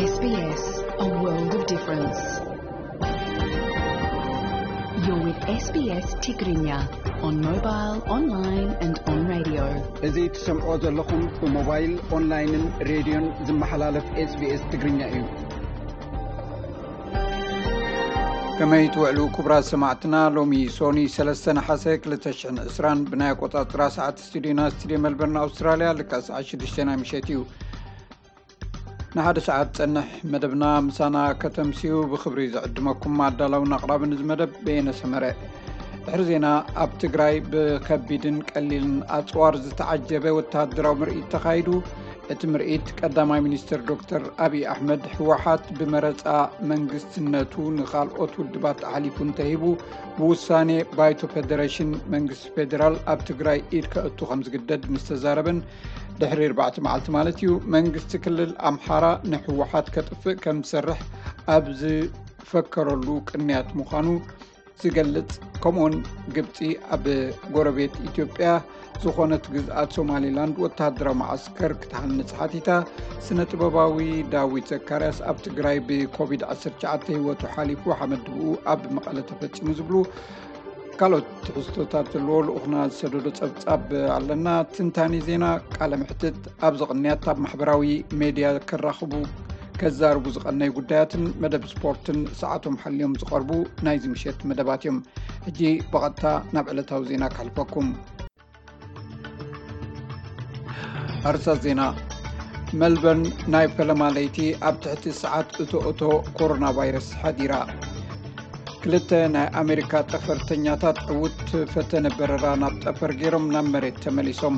S B S, a world of difference. You're with S B S Tigrinya on mobile, online and on radio. እዚ ትሰምዖ ዘለኹም ብሞባይል፣ ኦንላይንን ሬድዮን ዝመሓላለፍ SBS ትግርኛ እዩ። ከመይ ትውዕሉ ክቡራት ሰማዕትና? ሎሚ ሶኒ ሰለስተ ነሓሰ ክልተ ሽሕን ዕስራን ብናይ ኣቆጻጽራ ሰዓት ስቱዲዮና ስቱዲዮ መልበርን ኣውስትራልያ ልክዕ ሰዓት ሽዱሽተ ናይ ምሸት እዩ። ንሓደ ሰዓት ጸንሕ መደብና ምሳና ከተምስዩ ብኽብሪ ዝዕድመኩም ኣዳላውን ኣቕራብን እዚ መደብ በየነ ሰመረ። ድሕሪ ዜና፣ ኣብ ትግራይ ብከቢድን ቀሊልን ኣጽዋር ዝተዓጀበ ወተሃደራዊ ምርኢት ተኻይዱ። እቲ ምርኢት ቀዳማይ ሚኒስትር ዶክተር ኣብይ ኣሕመድ ህወሓት ብመረጻ መንግስትነቱ ንኻልኦት ውድባት ኣሕሊፉ እንተሂቡ ብውሳኔ ባይቶ ፌደሬሽን መንግስቲ ፌዴራል ኣብ ትግራይ ኢድ ከእቱ ከም ዝግደድ ምስ ተዛረበን ድሕሪ ኣርባዕተ መዓልቲ ማለት እዩ፣ መንግስቲ ክልል ኣምሓራ ንህወሓት ከጥፍእ ከም ዝሰርሕ ኣብ ዝፈከረሉ ቅንያት ምዃኑ ዝገልጽ፣ ከምኡውን ግብጺ ኣብ ጎረቤት ኢትዮጵያ ዝኾነት ግዝኣት ሶማሊላንድ ወተሃደራዊ መዓስከር ክትሃንጽ ሓቲታ፣ ስነ ጥበባዊ ዳዊት ዘካርያስ ኣብ ትግራይ ብኮቪድ ዓሰርተ ትሽዓተ ህይወቱ ሓሊፉ፣ ሓመድ ድብኡ ኣብ መቐለ ተፈጺሙ ዝብሉ ካልኦት ትሕዝቶታት ዘለዎ ልኡኽና ዝሰደዶ ጸብጻብ ኣለና። ትንታኒ ዜና፣ ቃለ መሕትት፣ ኣብዚ ቅንያት ኣብ ማሕበራዊ ሜድያ ከራኽቡ ከዛርቡ ዝቐነዩ ጉዳያትን መደብ ስፖርትን ሰዓቶም ሓልዮም ዝቐርቡ ናይዚ ምሸት መደባት እዮም። ሕጂ ብቐጥታ ናብ ዕለታዊ ዜና ከሕልፈኩም። ኣርሳ ዜና። መልበርን ናይ ፈለማ ለይቲ ኣብ ትሕቲ ሰዓት እቶ እቶ ኮሮና ቫይረስ ሓዲራ። ክልተ ናይ ኣሜሪካ ጠፈርተኛታት ዕዉት ፈተነ በረራ ናብ ጠፈር ገይሮም ናብ መሬት ተመሊሶም።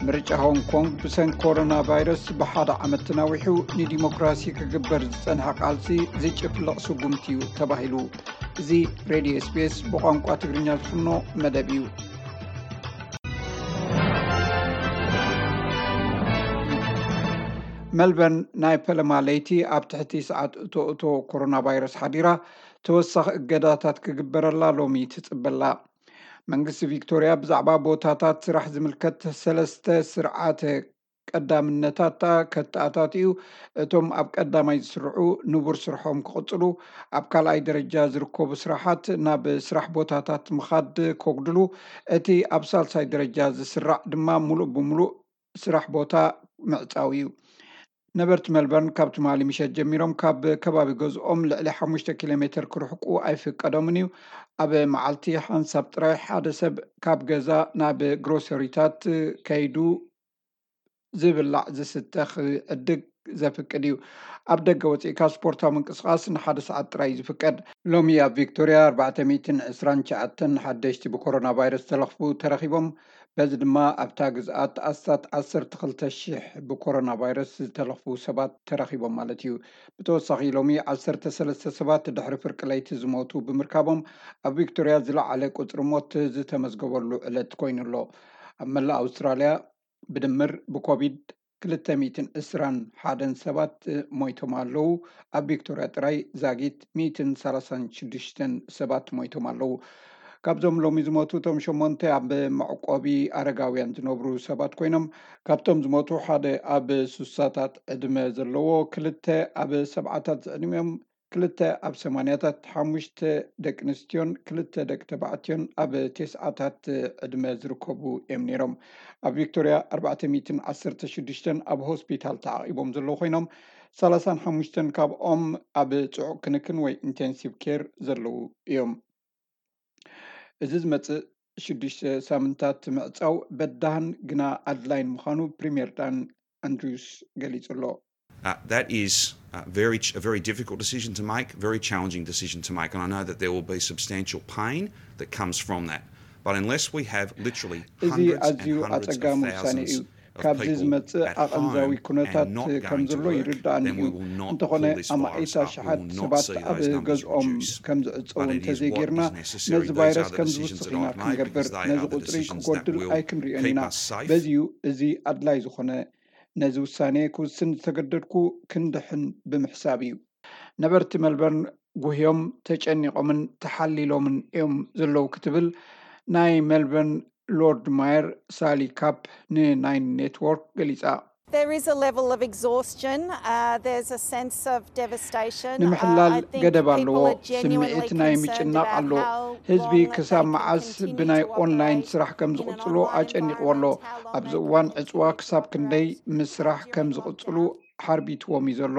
ምርጫ ሆንግ ኮንግ ብሰንኪ ኮሮና ቫይረስ ብሓደ ዓመት ተናዊሑ ንዲሞክራሲ ክግበር ዝጸንሐ ቃልሲ ዝጭፍልቕ ስጉምቲ እዩ ተባሂሉ። እዚ ሬድዮ SBS ብቋንቋ ትግርኛ ዝፍኖ መደብ እዩ። መልበርን ናይ ፈለማ ለይቲ ኣብ ትሕቲ ሰዓት እቶ እቶ ኮሮና ቫይረስ ሓዲራ ተወሳኺ እገዳታት ክግበረላ ሎሚ ትጽበላ። መንግስቲ ቪክቶርያ ብዛዕባ ቦታታት ስራሕ ዝምልከት ሰለስተ ስርዓተ ቀዳምነታት ከተኣታትዩ፣ እቶም ኣብ ቀዳማይ ዝስርዑ ንቡር ስርሖም ክቕጽሉ፣ ኣብ ካልኣይ ደረጃ ዝርከቡ ስራሓት ናብ ስራሕ ቦታታት ምኻድ ከጉድሉ፣ እቲ ኣብ ሳልሳይ ደረጃ ዝስራዕ ድማ ሙሉእ ብሙሉእ ስራሕ ቦታ ምዕጻው እዩ። ነበርቲ መልበርን ካብ ትማሊ ምሸት ጀሚሮም ካብ ከባቢ ገዝኦም ልዕሊ ሓሙሽተ ኪሎ ሜትር ክርሕቁ ኣይፍቀዶምን እዩ። ኣብ መዓልቲ ሓንሳብ ጥራይ ሓደ ሰብ ካብ ገዛ ናብ ግሮሰሪታት ከይዱ ዝብላዕ ዝስተ ክዕድግ ዘፍቅድ እዩ። ኣብ ደገ ወፂእካ ስፖርታዊ ምንቅስቃስ ንሓደ ሰዓት ጥራይ እዩ ዝፍቀድ። ሎሚ ኣብ ቪክቶርያ ኣርባዕተ ሚእትን ዕስራን ትሽዓተን ሓደሽቲ ብኮሮና ቫይረስ ዝተለኽፉ ተረኺቦም። በዚ ድማ ኣብታ ግዝኣት ኣስታት ዓሰርተ ክልተ ሽሕ ብኮሮና ቫይረስ ዝተለኽፉ ሰባት ተረኺቦም ማለት እዩ። ብተወሳኺ ሎሚ ዓሰርተ ሰለስተ ሰባት ድሕሪ ፍርቂ ለይቲ ዝሞቱ ብምርካቦም ኣብ ቪክቶርያ ዝለዓለ ቁፅሪ ሞት ዝተመዝገበሉ ዕለት ኮይኑ ኣሎ። ኣብ መላእ ኣውስትራልያ ብድምር ብኮቪድ ክልተ ሚእትን ዕስራን ሓደን ሰባት ሞይቶም ኣለዉ። ኣብ ቪክቶርያ ጥራይ ዛጊት ሚእትን ሰላሳን ሽዱሽተን ሰባት ሞይቶም ኣለዉ። ካብዞም ሎሚ ዝሞቱ እቶም ሸሞንተ ኣብ መዕቆቢ ኣረጋውያን ዝነብሩ ሰባት ኮይኖም፣ ካብቶም ዝሞቱ ሓደ ኣብ ሱሳታት ዕድመ ዘለዎ፣ ክልተ ኣብ ሰብዓታት ዝዕድሚኦም፣ ክልተ ኣብ ሰማንያታት፣ ሓሙሽተ ደቂ ኣንስትዮን ክልተ ደቂ ተባዕትዮን ኣብ ቴስዓታት ዕድመ ዝርከቡ እዮም ነይሮም። ኣብ ቪክቶርያ ኣርባዕተ ሚእትን ዓሰርተ ሽዱሽተን ኣብ ሆስፒታል ተዓቒቦም ዘለዉ ኮይኖም፣ ሰላሳን ሓሙሽተን ካብኦም ኣብ ጽዑቕ ክንክን ወይ ኢንቴንሲቭ ኬር ዘለዉ እዮም። እዚ ዝመጽእ ሽዱሽተ ሳምንታት ምዕጻው በዳህን ግና ኣድላይን ምዃኑ ፕሪምየር ዳን ኣንድሪውስ ገሊጹ ኣሎ። Uh, that is uh, very ch- a very difficult decision to make, very challenging decision to make, and I know that there will be substantial pain that comes from that. But unless we have literally እዚ hundreds and ኣዝዩ hundreds of ኣጸጋሚ ውሳኔ እዩ። Thousands of ካብዚ people ዝመጽእ at ኣቐንዛዊ home ኩነታት and not ከም going ዘሎ to work, ይርዳእኒ then እዩ። We will not እንተኾነ pull this virus ኣማኢት up. We ኣሽሓት will not ሰባት see ኣብ those numbers ገዝኦም reduce. ከም ዝዕጸዉ But it is what እንተዘይጌርና is necessary. ነዚ These ቫይረስ are the ከም decisions ዝውስኽ that ኢና I've made ክንገብር። Because they ነዚ are the ቁጽሪ decisions that ክጎድል will ኣይክንሪኦን keep ኢና። Us safe. በዚ እዩ እዚ ኣድላይ ዝኾነ። ነዚ ውሳኔ ክውስን ዝተገደድኩ ክንድሕን ብምሕሳብ እዩ። ነበርቲ መልበርን ጉህዮም ተጨኒቖምን ተሓሊሎምን እዮም ዘለዉ ክትብል ናይ መልበርን ሎርድ ማየር ሳሊ ካፕ ንናይን ኔትወርክ ገሊጻ። There is a level of exhaustion. Uh, there's a sense of devastation. ንምሕላል ገደብ ኣለዎ። ስምዒት ናይ ምጭናቕ ኣሎ። ህዝቢ ክሳብ መዓስ ብናይ ኦንላይን ስራሕ ከም ዝቕጽሉ ኣጨኒቕዎ ኣሎ። ኣብዚ እዋን ዕጽዋ ክሳብ ክንደይ ምስራሕ ከም ዝቕጽሉ ሓርቢትዎም እዩ ዘሎ።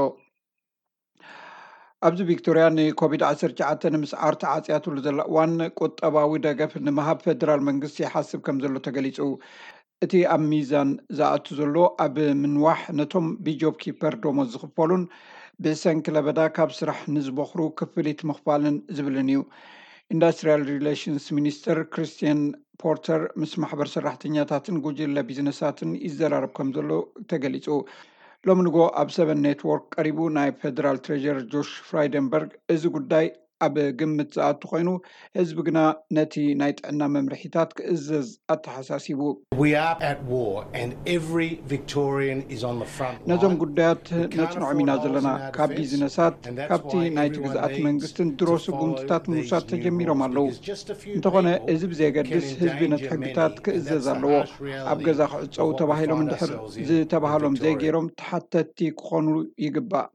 ኣብዚ ቪክቶርያ ንኮቪድ ዓሰርተ ትሽዓተ ንምስዓር ተዓጽያትሉ ዘላ እዋን ቁጠባዊ ደገፍ ንምሃብ ፌደራል መንግስቲ ይሓስብ ከም ዘሎ ተገሊጹ። እቲ ኣብ ሚዛን ዝኣቱ ዘሎ ኣብ ምንዋሕ ነቶም ብጆብ ኪፐር ደሞዝ ዝኽፈሉን ብሰንኪ ለበዳ ካብ ስራሕ ንዝቦኽሩ ክፍሊት ምኽፋልን ዝብልን እዩ። ኢንዱስትሪያል ሪሌሽንስ ሚኒስትር ክሪስቲያን ፖርተር ምስ ማሕበር ሰራሕተኛታትን ጉጅለ ቢዝነሳትን ይዘራረብ ከም ዘሎ ተገሊጹ። ሎሚ ንጎ ኣብ ሰቨን ኔትወርክ ቀሪቡ ናይ ፌደራል ትሬጀር ጆሽ ፍራይደንበርግ እዚ ጉዳይ ኣብ ግምት ዝኣቱ ኮይኑ ህዝቢ ግና ነቲ ናይ ጥዕና መምርሒታት ክእዘዝ ኣተሓሳሲቡ። We are at war and every Victorian is on the front line. ነዞም ጉዳያት ነጽንዖም ኢና ዘለና። ካብ ቢዝነሳት ካብቲ ናይቲ ግዝኣት መንግስትን ድሮ ስጉምትታት ምውሳድ ተጀሚሮም ኣለዉ። እንተኾነ እዚ ብዘየገድስ ህዝቢ ነቲ ሕግታት ክእዘዝ ኣለዎ። ኣብ ገዛ ክዕጸው ተባሂሎም እንድሕር ዝተባሃሎም ዘይገይሮም ተሓተትቲ ክኾኑ ይግባእ።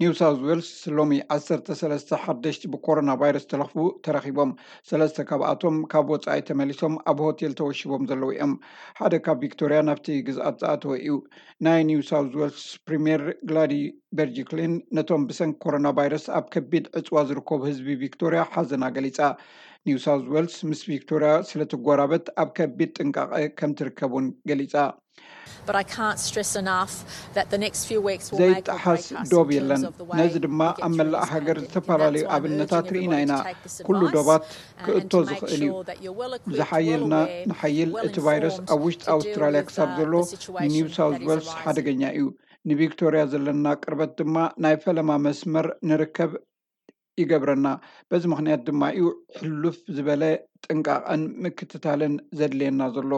ኒው ሳውዝ ዌልስ ሎሚ ዓሰርተ ሰለስተ ሓደሽቲ ብኮሮና ቫይረስ ተለኽፉ ተረኺቦም። ሰለስተ ካብኣቶም ካብ ወጻኢ ተመሊሶም ኣብ ሆቴል ተወሺቦም ዘለዉ እዮም። ሓደ ካብ ቪክቶርያ ናብቲ ግዝኣት ዝኣተወ እዩ። ናይ ኒው ሳውዝ ዌልስ ፕሪምየር ግላዲ በርጂክሊን ነቶም ብሰንኪ ኮሮና ቫይረስ ኣብ ከቢድ ዕጽዋ ዝርከቡ ህዝቢ ቪክቶርያ ሓዘና ገሊጻ። ኒው ሳውዝ ዌልስ ምስ ቪክቶርያ ስለትጎራበት ኣብ ከቢድ ጥንቃቐ ከም ትርከብ እውን ገሊጻ። But I can't stress enough that the next few weeks will make or ዘይጠሓስ break us ዶብ in የለን። terms of the way ነዚ we ድማ get ኣብ through መላእ this ሃገር pandemic. And ዝተፈላለዩ that's why I'm ኣብነታት urging ርኢና everybody ኢና። to take this ኩሉ advice ዶባት uh, and ክእቶ to make ዝኽእል እዩ። sure that you're well equipped, ዝሓየልና well aware, ንሓይል well እቲ ቫይረስ informed ኣብ ውሽጢ to deal ኣውስትራልያ with ክሳብ uh, ዘሎ the situation ንኒው ሳውዝ that is ዌልስ arising. ሓደገኛ እዩ። ንቪክቶርያ ዘለና ቅርበት ድማ ናይ ፈለማ መስመር ንርከብ ይገብረና። በዚ ምኽንያት ድማ እዩ ሕሉፍ ዝበለ ጥንቃቐን ምክትታልን ዘድልየና ዘሎ።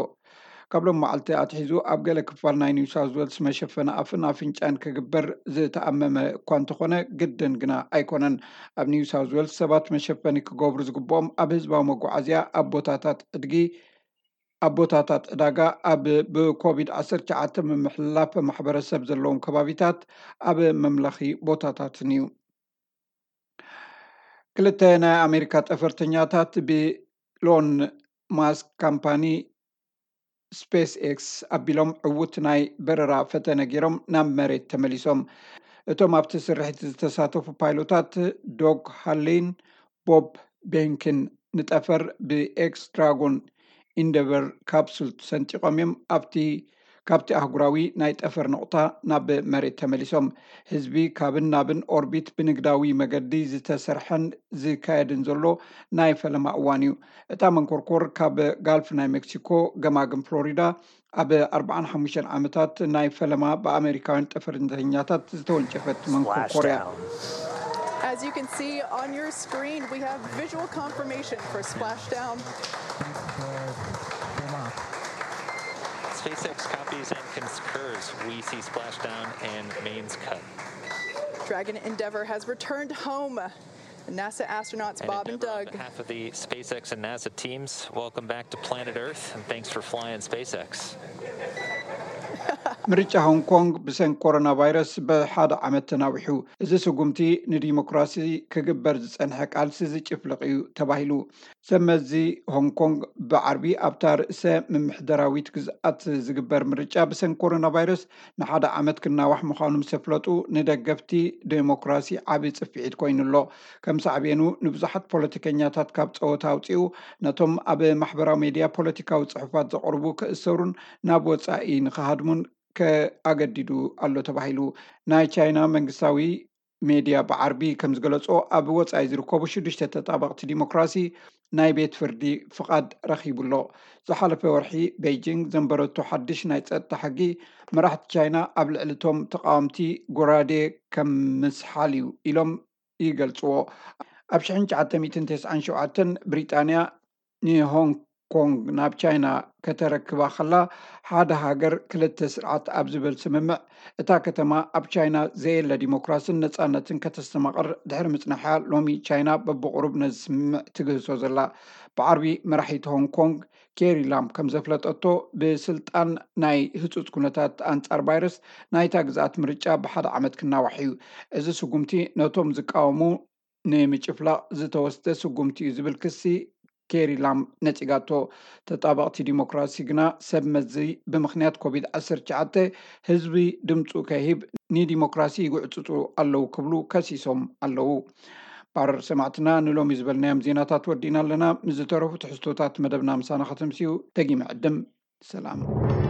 ካብ ሎም መዓልቲ ኣትሒዙ ኣብ ገለ ክፋል ናይ ኒው ሳውዝ ዌልስ መሸፈኒ ኣፍን ኣፍንጫን ክግበር ዝተኣመመ እኳ እንተኾነ ግድን ግና ኣይኮነን። ኣብ ኒው ሳውዝ ዌልስ ሰባት መሸፈኒ ክገብሩ ዝግብኦም ኣብ ህዝባዊ መጓዓዝያ፣ ኣብ ቦታታት ዕድጊ፣ ኣብ ቦታታት ዕዳጋ፣ ኣብ ብኮቪድ ዓሰርተ ትሽዓተ ምምሕልላፍ ማሕበረሰብ ዘለዎም ከባቢታት፣ ኣብ መምለኺ ቦታታትን እዩ። ክልተ ናይ ኣሜሪካ ጠፈርተኛታት ብኢሎን ማስክ ካምፓኒ ስፔስ ኤክስ ኣቢሎም ዕዉት ናይ በረራ ፈተነ ገይሮም ናብ መሬት ተመሊሶም። እቶም ኣብቲ ስርሒት ዝተሳተፉ ፓይሎታት ዶግ ሃሌን ቦብ ቤንክን ንጠፈር ብኤክስ ድራጎን ኢንደቨር ካፕሱል ሰንጢቖም እዮም ኣብቲ ካብቲ ኣህጉራዊ ናይ ጠፈር ነቑጣ ናብ መሬት ተመሊሶም። ህዝቢ ካብን ናብን ኦርቢት ብንግዳዊ መገዲ ዝተሰርሐን ዝካየድን ዘሎ ናይ ፈለማ እዋን እዩ። እታ መንኮርኮር ካብ ጋልፍ ናይ ሜክሲኮ ገማግም ፍሎሪዳ ኣብ ኣርባዓን ሓሙሽተን ዓመታት ናይ ፈለማ ብኣሜሪካውያን ጠፈርተኛታት ዝተወንጨፈት መንኮርኮር እያ። As you can see on your screen, we have visual confirmation for splashdown. SpaceX copies and concurs. We see splashdown and mains cut. Dragon Endeavour has returned home. NASA astronauts And Bob and Endeavour, on Doug. behalf of the SpaceX and NASA teams, welcome back to planet Earth, and thanks for flying SpaceX. ምርጫ ሆንግ ኮንግ ብሰንኪ ኮሮና ቫይረስ ብሓደ ዓመት ተናዊሑ። እዚ ስጉምቲ ንዲሞክራሲ ክግበር ዝጸንሐ ቃልሲ ዝጭፍልቕ እዩ ተባሂሉ። ሰብ መዚ ሆንግ ኮንግ ብዓርቢ ኣብታ ርእሰ ምምሕዳራዊት ግዝኣት ዝግበር ምርጫ ብሰንኪ ኮሮና ቫይረስ ንሓደ ዓመት ክናዋሕ ምዃኑ ምስ ኣፍለጡ፣ ንደገፍቲ ዴሞክራሲ ዓቢ ጽፍዒት ኮይኑ ኣሎ። ከም ሳዕቤኑ ንብዙሓት ፖለቲከኛታት ካብ ጸወታ ኣውጺኡ፣ ነቶም ኣብ ማሕበራዊ ሜድያ ፖለቲካዊ ጽሑፋት ዘቕርቡ ክእሰሩን ናብ ወጻኢ ንኽሃድሙን ከኣገዲዱ ኣሎ ተባሂሉ። ናይ ቻይና መንግስታዊ ሜድያ ብዓርቢ ከም ዝገለጾ፣ ኣብ ወጻኢ ዝርከቡ ሽዱሽተ ተጣበቕቲ ዲሞክራሲ ናይ ቤት ፍርዲ ፍቓድ ረኺቡ ኣሎ። ዝሓለፈ ወርሒ ቤይጂንግ ዘንበረቶ ሓድሽ ናይ ጸጥታ ሕጊ፣ መራሕቲ ቻይና ኣብ ልዕሊ እቶም ተቓወምቲ ጎራዴ ከም ምስሓል እዩ ኢሎም ይገልጽዎ። ኣብ ሽሕን ትሽዓተ ሚእትን ተስዓን ሸውዓተን ብሪጣንያ ንሆንግ ኮንግ ናብ ቻይና ከተረክባ ከላ፣ ሓደ ሃገር ክልተ ስርዓት ኣብ ዝብል ስምምዕ፣ እታ ከተማ ኣብ ቻይና ዘየለ ዲሞክራስን ነጻነትን ከተስተማቕር ድሕሪ ምጽናሓ፣ ሎሚ ቻይና በብቕሩብ ነዚ ስምምዕ ትግህሶ ዘላ። ብዓርቢ መራሒት ሆንግ ኮንግ ኬሪ ላም ከም ዘፍለጠቶ፣ ብስልጣን ናይ ህጹጽ ኩነታት ኣንጻር ቫይረስ ናይታ ግዝኣት ምርጫ ብሓደ ዓመት ክናዋሕ እዩ። እዚ ስጉምቲ ነቶም ዝቃወሙ ንምጭፍላቕ ዝተወስደ ስጉምቲ እዩ ዝብል ክሲ ኬሪ ላም ነጺጋቶ። ተጣበቕቲ ዲሞክራሲ ግና ሰብ መዚ ብምኽንያት ኮቪድ ዓሰርተ ትሽዓተ ህዝቢ ድምፁ ከይህብ ንዲሞክራሲ ይጉዕፅፁ ኣለዉ ክብሉ ከሲሶም ኣለዉ። ባር ሰማዕትና ንሎሚ ዝበልናዮም ዜናታት ወዲእና ኣለና። ምስ ዝተረፉ ትሕዝቶታት መደብና ምሳና ከተምስዩ ደጊመ ዕድም። ሰላም።